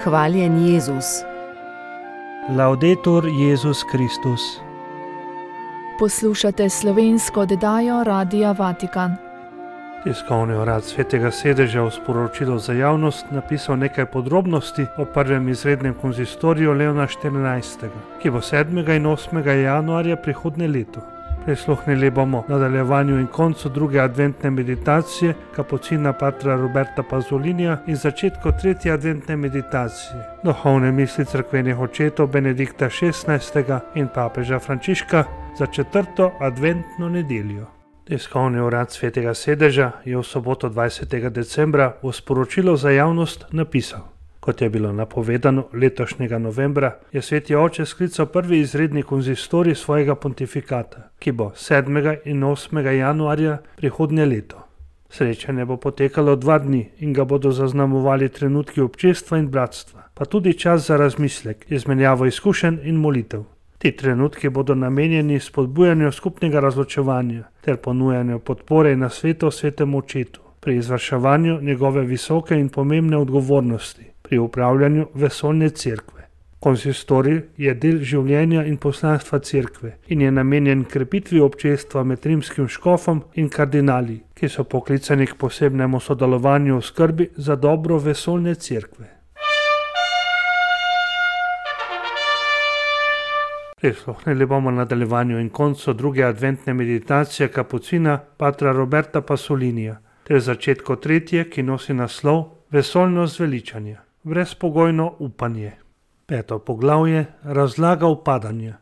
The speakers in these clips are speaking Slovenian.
Hvaljen Jezus. Laudetur Jezus Kristus. Poslušate slovensko oddajo Radia Vatikan. Tiskovni urad Svetega sedeža v sporočilu za javnost napisal nekaj podrobnosti o prvem izrednem konzistoriju Leona XIV., ki bo 7. in 8. januarja prihodnje leto. Prisluhnili bomo nadaljevanju in koncu druge adventne meditacije kapucina patra Roberta Pazzolinija in začetku tretje adventne meditacije duhovne misli cerkvenih očetov Benedikta XVI. In papeža Frančiška za 4. adventno nedeljo. Tiskovni urad Svetega sedeža je v soboto 20. decembra v sporočilu za javnost napisal: Kot je bilo napovedano letošnjega novembra, je Sveti oče sklical prvi izredni konzistorij svojega pontifikata, ki bo 7. in 8. januarja prihodnje leto. Srečanje bo potekalo 2 dni in ga bodo zaznamovali trenutki občestva in bratstva, pa tudi čas za razmislek, izmenjavo izkušenj in molitev. Ti trenutki bodo namenjeni spodbujanju skupnega razločevanja ter ponujanju podpore in nasvetov svetemu očetu pri izvrševanju njegove visoke in pomembne odgovornosti pri upravljanju vesoljne cerkve. Konsistorij je del življenja in poslanstva cerkve in je namenjen krepitvi občestva med rimskim škofom in kardinali, ki so poklicani k posebnemu sodelovanju v skrbi za dobro vesoljne cerkve. Prisluhnili bomo nadaljevanju in koncu druge adventne meditacije kapucina patra Roberta Pazzolinija ter začetku tretje, ki nosi naslov Vesoljno zveličanje, brezpogojno upanje. 5. poglavje razlaga upadanja.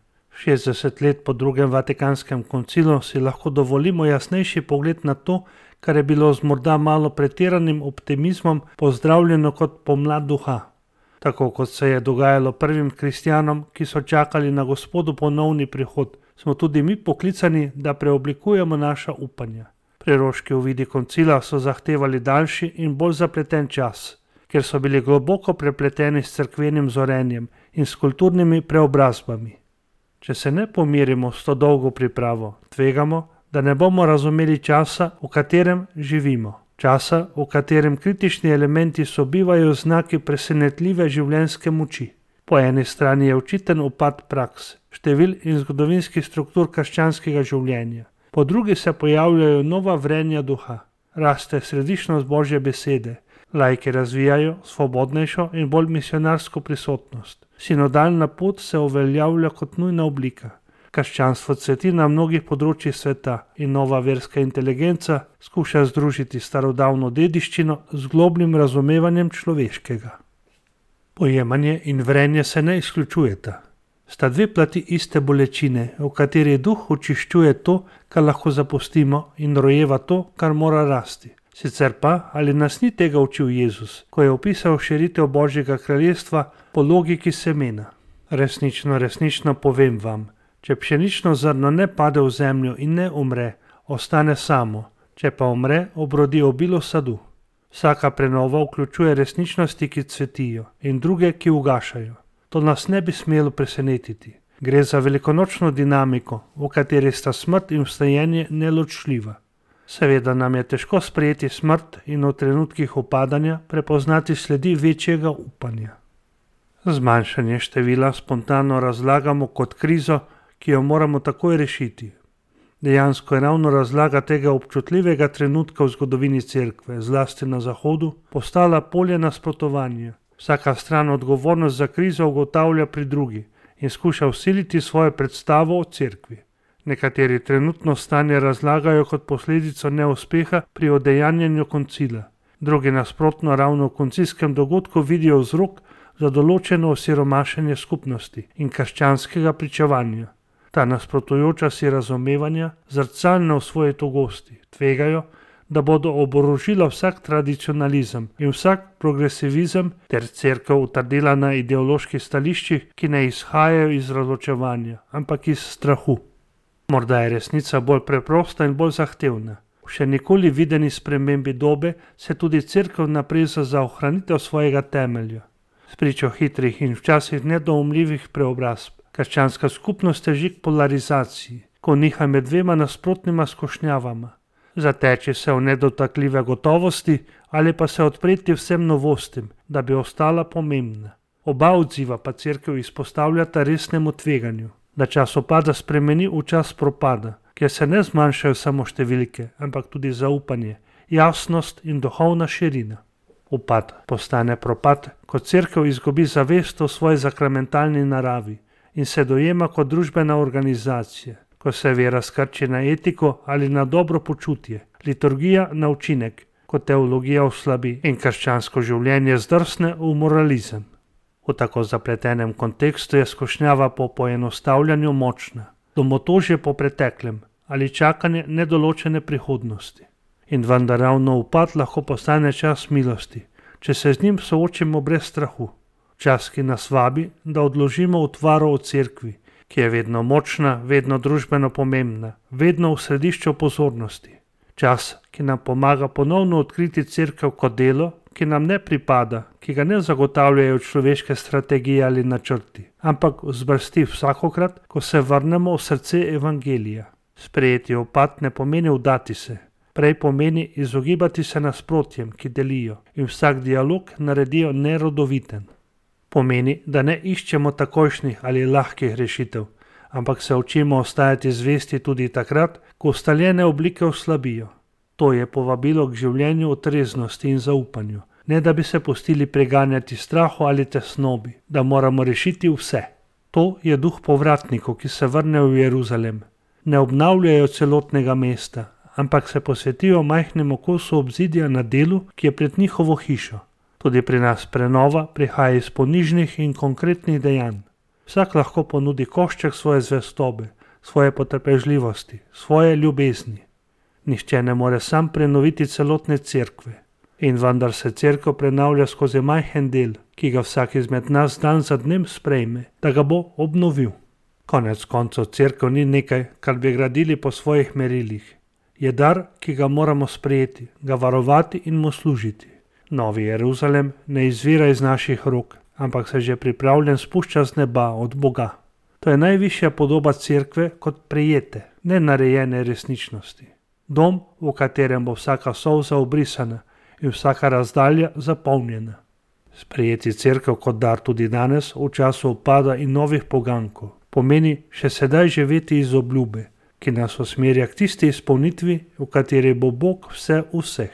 60 let po drugem Vatikanskem koncilu si lahko dovolimo jasnejši pogled na to, kar je bilo z morda malo pretiranim optimizmom pozdravljeno kot pomlad duha. Tako kot se je dogajalo prvim kristjanom, ki so čakali na Gospodu ponovni prihod, smo tudi mi poklicani, da preoblikujemo naša upanja. Preroški uvidi koncila so zahtevali daljši in bolj zapleten čas, ker so bili globoko prepleteni s cerkvenim zorenjem in s kulturnimi preobrazbami. Če se ne pomirimo s to dolgo pripravo, tvegamo, da ne bomo razumeli časa, v katerem živimo. Časa, v katerem kritični elementi sobivajo znaki presenetljive življenjske moči. Po eni strani je očiten upad praks, števil in zgodovinskih struktur krščanskega življenja. Po drugi se pojavljajo nova vrenja duha. Raste središčnost Božje besede. Laiki razvijajo svobodnejšo in bolj misionarsko prisotnost. Sinodalna pot se uveljavlja kot nujna oblika. Krščanstvo cveti na mnogih področjih sveta in nova verska inteligenca skuša združiti starodavno dediščino z globnim razumevanjem človeškega. Pojemanje in vrenje se ne izključujeta. Sta dve plati iste bolečine, v kateri duh očiščuje to, kar lahko zapustimo, in rojeva to, kar mora rasti. Sicer pa, ali nas ni tega učil Jezus, ko je opisal širitev Božjega kraljestva po logiki semena? Resnično povem vam, če pšenično zrno ne pade v zemljo in ne umre, ostane samo, če pa umre, obrodi obilo sadu. Vsaka prenova vključuje resničnosti, ki cvetijo, in druge, ki ugašajo. To nas ne bi smelo presenetiti. Gre za velikonočno dinamiko, v kateri sta smrt in vstajenje neločljiva. Seveda nam je težko sprejeti smrt in v trenutkih upadanja prepoznati sledi večjega upanja. Zmanjšanje števila spontano razlagamo kot krizo, ki jo moramo takoj rešiti. Dejansko je ravno razlaga tega občutljivega trenutka v zgodovini cerkve, zlasti na Zahodu, postala polje nasprotovanja. Vsaka stran odgovornost za krizo ugotavlja pri drugi in skuša vsiliti svojo predstavo o cerkvi. Nekateri trenutno stanje razlagajo kot posledico neuspeha pri udejanjanju koncila. Drugi nasprotno ravno v koncilskem dogodku vidijo vzrok za določeno osiromašenje skupnosti in krščanskega pričevanja. Ta nasprotujoča si razumevanja, zrcalna v svoji togosti, tvegajo, da bodo oborožila vsak tradicionalizem in vsak progresivizem ter cerkev utrdila na ideoloških stališčih, ki ne izhajajo iz razločevanja, ampak iz strahu. Morda je resnica bolj preprosta in bolj zahtevna. V še nikoli videni spremembi dobe se tudi cerkev napreza za ohranitev svojega temelja. Spričo hitrih in včasih nedoumljivih preobrazb, krščanska skupnost teži k polarizaciji, ko niha med dvema nasprotnima skušnjavama. Zateči se v nedotakljive gotovosti ali pa se odpreti vsem novostim, da bi ostala pomembna. Oba odziva pa cerkev izpostavljata resnemu tveganju, da čas upada spremeni v čas propada, kjer se ne zmanjšajo samo številke, ampak tudi zaupanje, jasnost in duhovna širina. Upad postane propad, ko cerkev izgubi zavest o svoji sakramentalni naravi in se dojema kot družbena organizacija, ko se vera skrči na etiko ali na dobro počutje, liturgija na učinek, ko teologija oslabi in krščansko življenje zdrsne v moralizem. V tako zapletenem kontekstu je skušnjava po poenostavljanju močna, domotožje po preteklem ali čakanje nedoločene prihodnosti. In vendar ravno upad lahko postane čas milosti, če se z njim soočimo brez strahu. Čas, ki nas vabi, da odložimo utvaro o cerkvi, ki je vedno močna, vedno družbeno pomembna, vedno v središču pozornosti. Čas, ki nam pomaga ponovno odkriti cerkev kot delo, ki nam ne pripada, ki ga ne zagotavljajo človeške strategije ali načrti, ampak vzbrsti vsakokrat, ko se vrnemo v srce evangelija. Sprejeti upad ne pomeni vdati se, prej pomeni izogibati se nasprotjem, ki delijo in vsak dialog naredijo nerodoviten. Pomeni, da ne iščemo takojšnjih ali lahkih rešitev, ampak se učimo ostajati zvesti tudi takrat, ko ustaljene oblike oslabijo. To je povabilo k življenju v treznosti in zaupanju, ne da bi se pustili preganjati strahu ali tesnobi, da moramo rešiti vse. To je duh povratnikov, ki se vrnejo v Jeruzalem. Ne obnavljajo celotnega mesta, ampak se posvetijo majhnemu kosu obzidja na delu, ki je pred njihovo hišo. Tudi pri nas prenova prihaja iz ponižnih in konkretnih dejanj. Vsak lahko ponudi košček svoje zvestobe, svoje potrpežljivosti, svoje ljubezni. Nihče ne more sam prenoviti celotne cerkve. In vendar se cerkev prenavlja skozi majhen del, ki ga vsak izmed nas dan za dnem sprejme, da ga bo obnovil. Konec koncev cerkev ni nekaj, kar bi gradili po svojih merilih. Je dar, ki ga moramo sprejeti, ga varovati in mu služiti. Novi Jeruzalem ne izvira iz naših rok, ampak se že pripravljen spušča z neba od Boga. To je najvišja podoba cerkve kot prejete, ne narejene resničnosti. Dom, v katerem bo vsaka solza obrisana in vsaka razdalja zapolnjena. Sprejeti cerkev kot dar tudi danes, v času upada in novih pogankov, pomeni še sedaj živeti iz obljube, ki nas usmerja k tisti izpolnitvi, v kateri bo Bog vse vseh.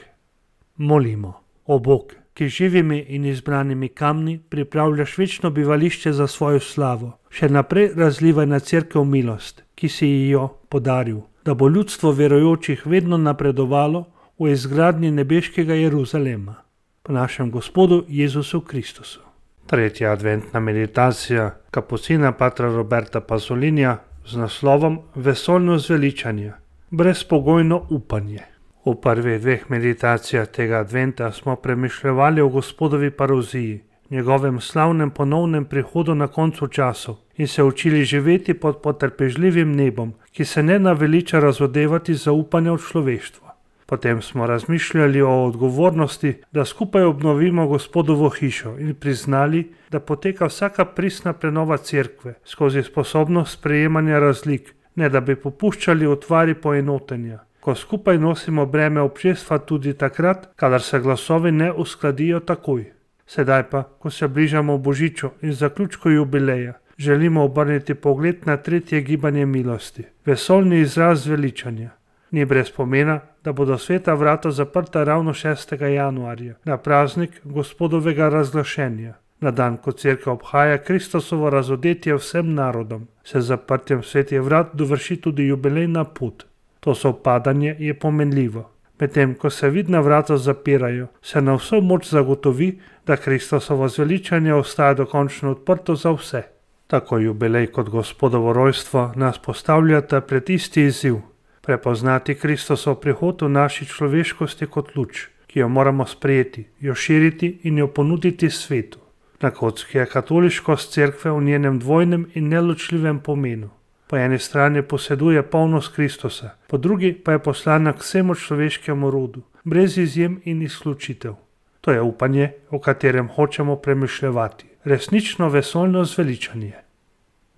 Molimo. O Bog, ki živimi in izbranimi kamni pripravljaš večno bivališče za svojo slavo, še naprej razlivaj na cerkev milost, ki si ji jo podaril, da bo ljudstvo verujočih vedno napredovalo v izgradnji nebeškega Jeruzalema. Po našem Gospodu Jezusu Kristusu. Tretja adventna meditacija kapucina patra Roberta Pasolinija z naslovom Vesoljno zveličanje, brezpogojno upanje. V prvih dveh meditacijah tega adventa smo premišljevali o Gospodovi paroziji, njegovem slavnem ponovnem prihodu na koncu časov in se učili živeti pod potrpežljivim nebom, ki se ne naveliča razodevati zaupanja v človeštvo. Potem smo razmišljali o odgovornosti, da skupaj obnovimo Gospodovo hišo in priznali, da poteka vsaka pristna prenova cerkve skozi sposobnost sprejemanja razlik, ne da bi popuščali utvari poenotenja, ko skupaj nosimo breme občestva tudi takrat, kadar se glasovi ne uskladijo takoj. Sedaj pa, ko se bližamo Božiču in zaključku jubileja, želimo obrniti pogled na tretje gibanje milosti, vesoljni izraz zveličanja. Ni brez pomena, da bodo sveta vrata zaprta ravno 6. januarja, na praznik Gospodovega razglašenja, na dan, ko cerkev obhaja Kristusovo razodetje vsem narodom. Se z zaprtjem svetih vrat dovrši tudi jubilejna pot. To sovpadanje je pomenljivo. Medtem ko se vidna vrata zapirajo, se na vso moč zagotovi, da Kristusovo zveličanje ostaja dokončno odprto za vse. Tako jubilej kot Gospodovo rojstvo nas postavljata pred isti izziv. Prepoznati Kristusov prihod v naši človeškosti kot luč, ki jo moramo sprejeti, jo širiti in jo ponuditi svetu. Na kocki je katoliškost cerkve v njenem dvojnem in neločljivem pomenu. Po eni strani poseduje polnost Kristusa, po drugi pa je poslana k vsemu človeškemu rodu, brez izjem in izključitev. To je upanje, o katerem hočemo premišljevati, resnično vesoljno zveličanje.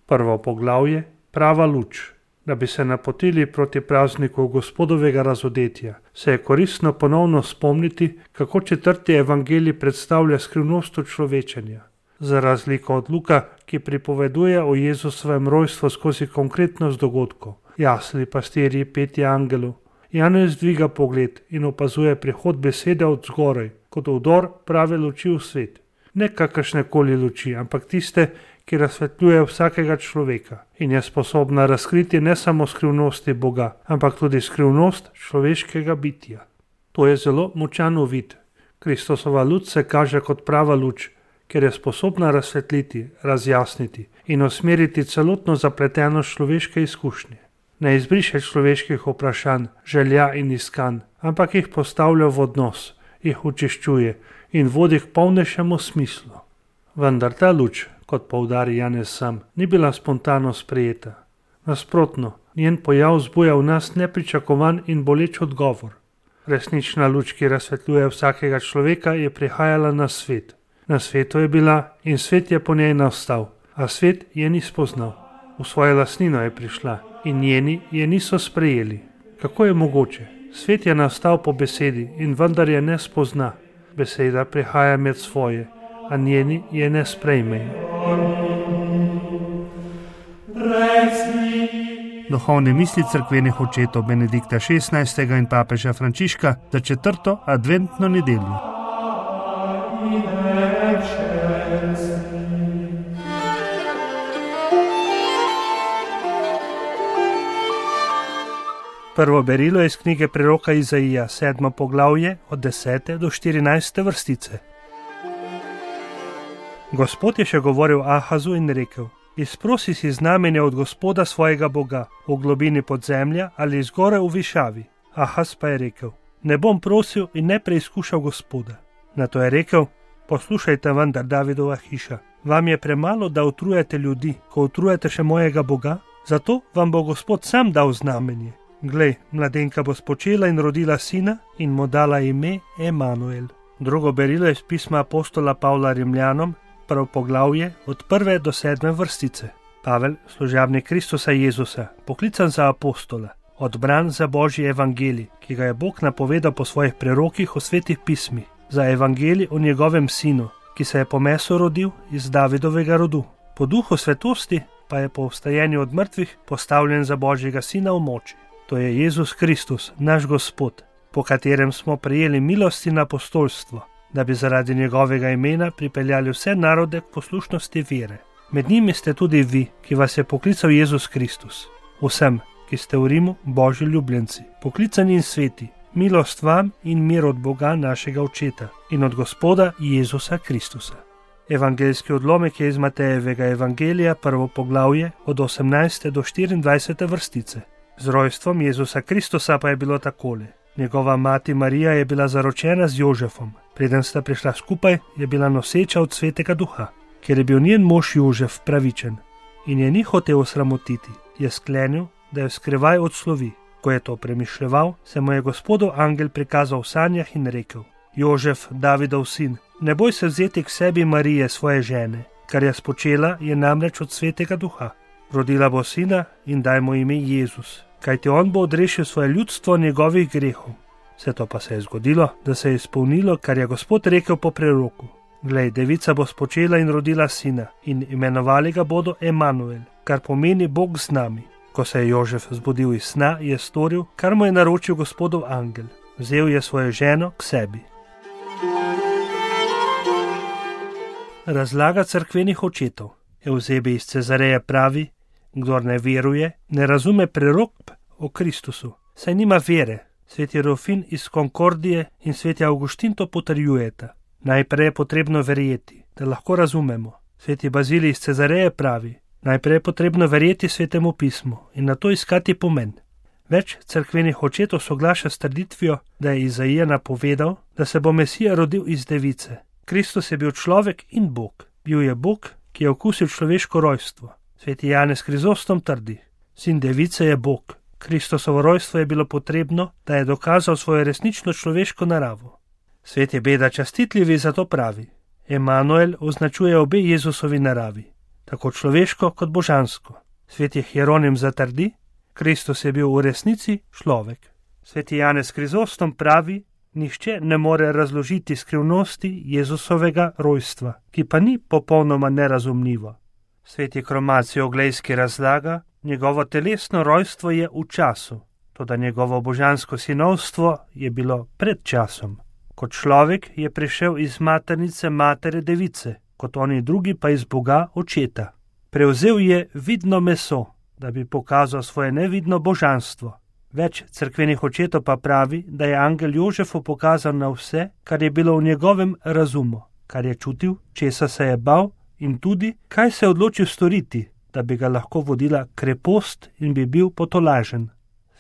Prvo poglavje, prava luč. Da bi se napotili proti prazniku Gospodovega razodetja, se je koristno ponovno spomniti, kako 4. evangelij predstavlja skrivnost človečenja. Za razliko od Luka, ki pripoveduje o Jezusovem rojstvu skozi konkretnost dogodkov, jasli, pastirji, petje angelov, Janez dviga pogled in opazuje prihod besede od zgoraj, kot vdor prave luči v svet. Ne kakršne koli luči, ampak tiste, ki razsvetljuje vsakega človeka in je sposobna razkriti ne samo skrivnosti Boga, ampak tudi skrivnost človeškega bitja. To je zelo močan uvid. Kristusova luč se kaže kot prava luč, ker je sposobna razsvetliti, razjasniti in usmeriti celotno zapletenost človeške izkušnje. Ne izbriše človeških vprašanj, želja in iskanj, ampak jih postavlja v odnos, jih očiščuje in vodi k polnejšemu smislu. Vendar ta luč, kot poudari Janez sam, ni bila spontano sprejeta. Nasprotno, njen pojav zbuja v nas nepričakovan in boleč odgovor. Resnična luč, ki razsvetljuje vsakega človeka, je prihajala na svet. Na svetu je bila in svet je po njej nastal, a svet je ni spoznal. V svojo lastnino je prišla in njeni je niso sprejeli. Kako je mogoče? Svet je nastal po besedi in vendar je ne spozna. Beseda prihaja med svoje, a njeni je ne sprejmejo. Duhovne misli cerkvenih očetov Benedikta XVI. In papeža Frančiška za 4. adventno nedeljo. Prvo berilo je iz knjige preroka Izaija, 7. poglavje, od 10. do 14. vrstice. Gospod je še govoril Ahazu in rekel: Izprosi si znamenje od Gospoda svojega Boga, v globini podzemlja ali zgoraj v višavi. Ahaz pa je rekel: Ne bom prosil in ne preizkušal Gospoda. Nato je rekel: Poslušajte vendar, Davidova hiša, vam je premalo, da utrujete ljudi, ko utrujete še mojega Boga? Zato vam bo Gospod sam dal znamenje. Glej, mladenka bo spočela in rodila sina in mu dala ime Emanuel. Drugo berilo je iz pisma apostola Pavla Rimljanom, prvo poglavje, od 1. do 7. vrstice. Pavel, služabnik Kristusa Jezusa, poklican za apostola, odbran za Božji evangelij, ki ga je Bog napovedal po svojih prerokih v svetih pismih, za evangelij o njegovem sinu, ki se je po mesu rodil iz Davidovega rodu. Po duhu svetosti pa je po vstajenju od mrtvih postavljen za Božjega sina v moči. To je Jezus Kristus, naš Gospod, po katerem smo prejeli milost in apostolstvo, da bi zaradi njegovega imena pripeljali vse narode k poslušnosti vere. Med njimi ste tudi vi, ki vas je poklical Jezus Kristus. Vsem, ki ste v Rimu, Božji ljubljenci, poklicani in sveti, milost vam in mir od Boga našega Očeta in od Gospoda Jezusa Kristusa. Evangeljski odlomek je iz Matejevega evangelija, prvo poglavje, od 18. do 24. vrstice. Z rojstvom Jezusa Kristusa pa je bilo takole. Njegova mati Marija je bila zaročena z Jožefom. Preden sta prišla skupaj, je bila noseča od Svetega Duha, ker je bil njen mož Jožef pravičen in je ni hotel osramotiti, je sklenil, da jo skrivaj odslovi. Ko je to premišljeval, se mu je Gospodov angel prikazal v sanjah in rekel: Jožef, Davidov sin, ne boj se vzeti k sebi Marije, svoje žene, kar je spočela, je namreč od Svetega Duha. Rodila bo sina in daj mu ime Jezus, kajti on bo odrešil svoje ljudstvo njegovih grehov. Vse to pa se je zgodilo, da se je izpolnilo, kar je Gospod rekel po preroku. Glej, devica bo spočela in rodila sina in imenovali ga bodo Emanuel, kar pomeni Bog z nami. Ko se je Jožef zbudil iz sna, je storil, kar mu je naročil Gospodov angel. Vzel je svojo ženo k sebi. Razlaga cerkvenih očetov. Evzebi iz Cezareje pravi: Kdor ne veruje, ne razume prerokb o Kristusu, saj nima vere. Sveti Rufin iz Konkordije in sveti Avguštin to potrjujeta. Najprej je potrebno verjeti, da lahko razumemo. Sveti Bazilij iz Cezareje pravi: Najprej je potrebno verjeti Svetemu pismu in nato iskati pomen. Več cerkvenih očetov soglaša s trditvijo, da je Izaija napovedal, da se bo Mesija rodil iz device. Kristus je bil človek in Bog. Bil je Bog, ki je okusil človeško rojstvo. Sveti Janez Krizostom trdi: Sin device je Bog. Kristusovo rojstvo je bilo potrebno, da je dokazal svojo resnično človeško naravo. Sveti Beda Častitljivi zato pravi: Emanuel označuje obe Jezusovi naravi, tako človeško kot božansko. Sveti Hieronim zatrdi: Kristus je bil v resnici človek. Sveti Janez Krizostom pravi, nihče ne more razložiti skrivnosti Jezusovega rojstva, ki pa ni popolnoma nerazumljivo. Sveti Kromaci Oglejski razlaga, njegovo telesno rojstvo je v času, toda njegovo božansko sinovstvo je bilo pred časom. Kot človek je prišel iz maternice matere device, kot oni drugi pa iz Boga očeta. Prevzel je vidno meso, da bi pokazal svoje nevidno božanstvo. Več cerkvenih očetov pa pravi, da je angel Jožefu pokazal na vse, kar je bilo v njegovem razumu, kar je čutil, česa se je bal in tudi, kaj se je odločil storiti, da bi ga lahko vodila krepost in bi bil potolažen.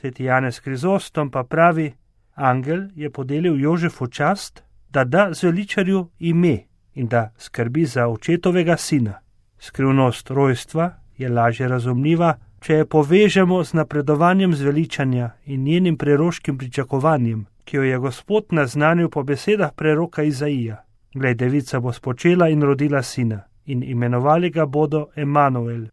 Sveti Janez Krizostom pa pravi, angel je podelil Jožefu čast, da da zveličarju ime in da skrbi za očetovega sina. Skrivnost rojstva je lažje razumljiva, če jo povežemo z napredovanjem zveličanja in njenim preroškim pričakovanjem, ki jo je Gospod naznanil po besedah preroka Izaija. Glej, devica bo spočela in rodila sina, in imenovali ga bodo Emanuel.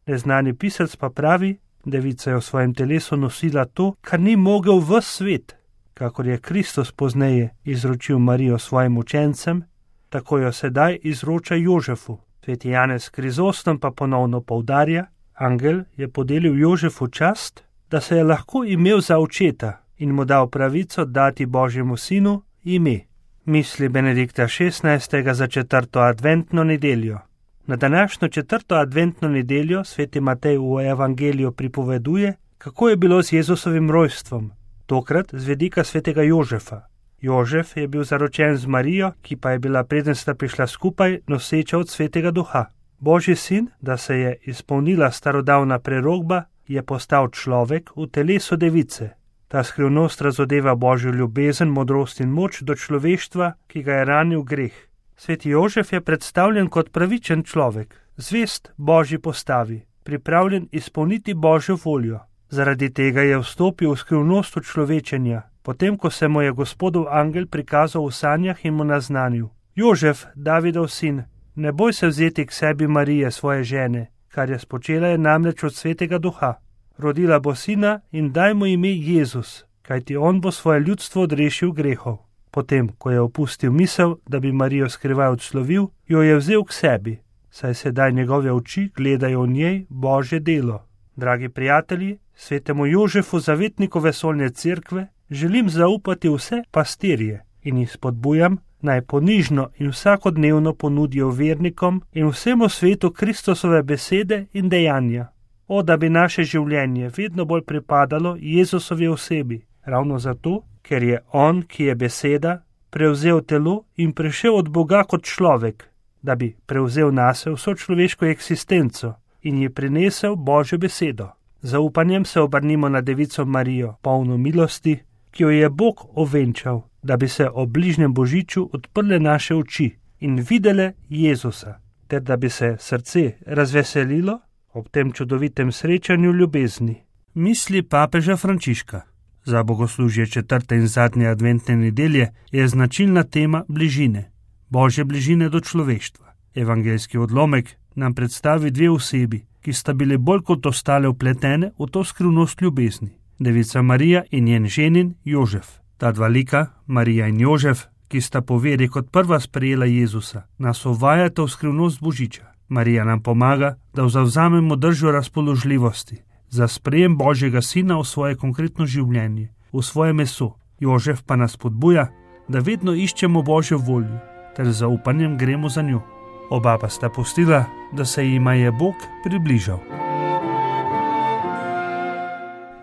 Neznani pisec pa pravi, devica je v svojem telesu nosila to, kar ni mogel ves svet. Kakor je Kristus pozneje izročil Marijo svojim učencem, tako jo sedaj izroča Jožefu. Sveti Janez Krizostom pa ponovno poudarja, angel je podelil Jožefu čast, da se je lahko imel za očeta in mu dal pravico dati Božjemu sinu ime. Misli Benedikta XVI. Za 4. adventno nedeljo. Na današnjo 4. adventno nedeljo sveti Matej v evangeliju pripoveduje, kako je bilo z Jezusovim rojstvom, tokrat z vidika svetega Jožefa. Jožef je bil zaročen z Marijo, ki pa je bila, preden sta prišla skupaj, noseča od svetega duha. Božji sin, da se je izpolnila starodavna prerokba, je postal človek v telesu device. Ta skrivnost razodeva Božjo ljubezen, modrost in moč do človeštva, ki ga je ranil greh. Sveti Jožef je predstavljen kot pravičen človek, zvest Božji postavi, pripravljen izpolniti Božjo voljo. Zaradi tega je vstopil v skrivnost človečenja, potem ko se mu je Gospodov angel prikazal v sanjah in mu naznanil: Jožef, Davidov sin, ne boj se vzeti k sebi Marije, svoje žene, kar je spočela je namreč od svetega duha. Rodila bo sina in daj mu ime Jezus, kajti on bo svoje ljudstvo odrešil grehov. Potem, ko je opustil misel, da bi Marijo skrivaj odslovil, jo je vzel k sebi, saj sedaj njegove oči gledajo v njej Božje delo. Dragi prijatelji, svetemu Jožefu, zavetniku vesoljne cerkve, želim zaupati vse pastirje in jih spodbujam, naj ponižno in vsakodnevno ponudijo vernikom in vsemu svetu Kristusove besede in dejanja. O, da bi naše življenje vedno bolj pripadalo Jezusovi osebi, ravno zato, ker je on, ki je beseda, prevzel telo in prišel od Boga kot človek, da bi prevzel nase vso človeško eksistenco in ji prinesel Božjo besedo. Zaupanjem se obrnimo na devico Marijo, polno milosti, ki jo je Bog ovenčal, da bi se ob bližnjem božiču odprle naše oči in videle Jezusa, ter da bi se srce razveselilo ob tem čudovitem srečanju ljubezni. Misli papeža Frančiška. Za bogoslužje 4. in zadnje adventne nedelje je značilna tema bližine, Božje bližine do človeštva. Evangeljski odlomek nam predstavi dve osebi, ki sta bili bolj kot ostale vpletene v to skrivnost ljubezni. Devica Marija in njen ženin Jožef. Ta dva lika, Marija in Jožef, ki sta po veri kot prva sprejela Jezusa, nas uvajata v skrivnost božiča. Marija nam pomaga, da zavzamemo držo razpoložljivosti za sprejem Božjega sina v svoje konkretno življenje, v svoje meso. Jožef pa nas spodbuja, da vedno iščemo Božjo voljo, ter z zaupanjem gremo za njo. Oba pa sta pustila, da se jima je Bog približal.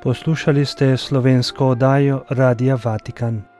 Poslušali ste slovensko oddajo Radia Vatikan.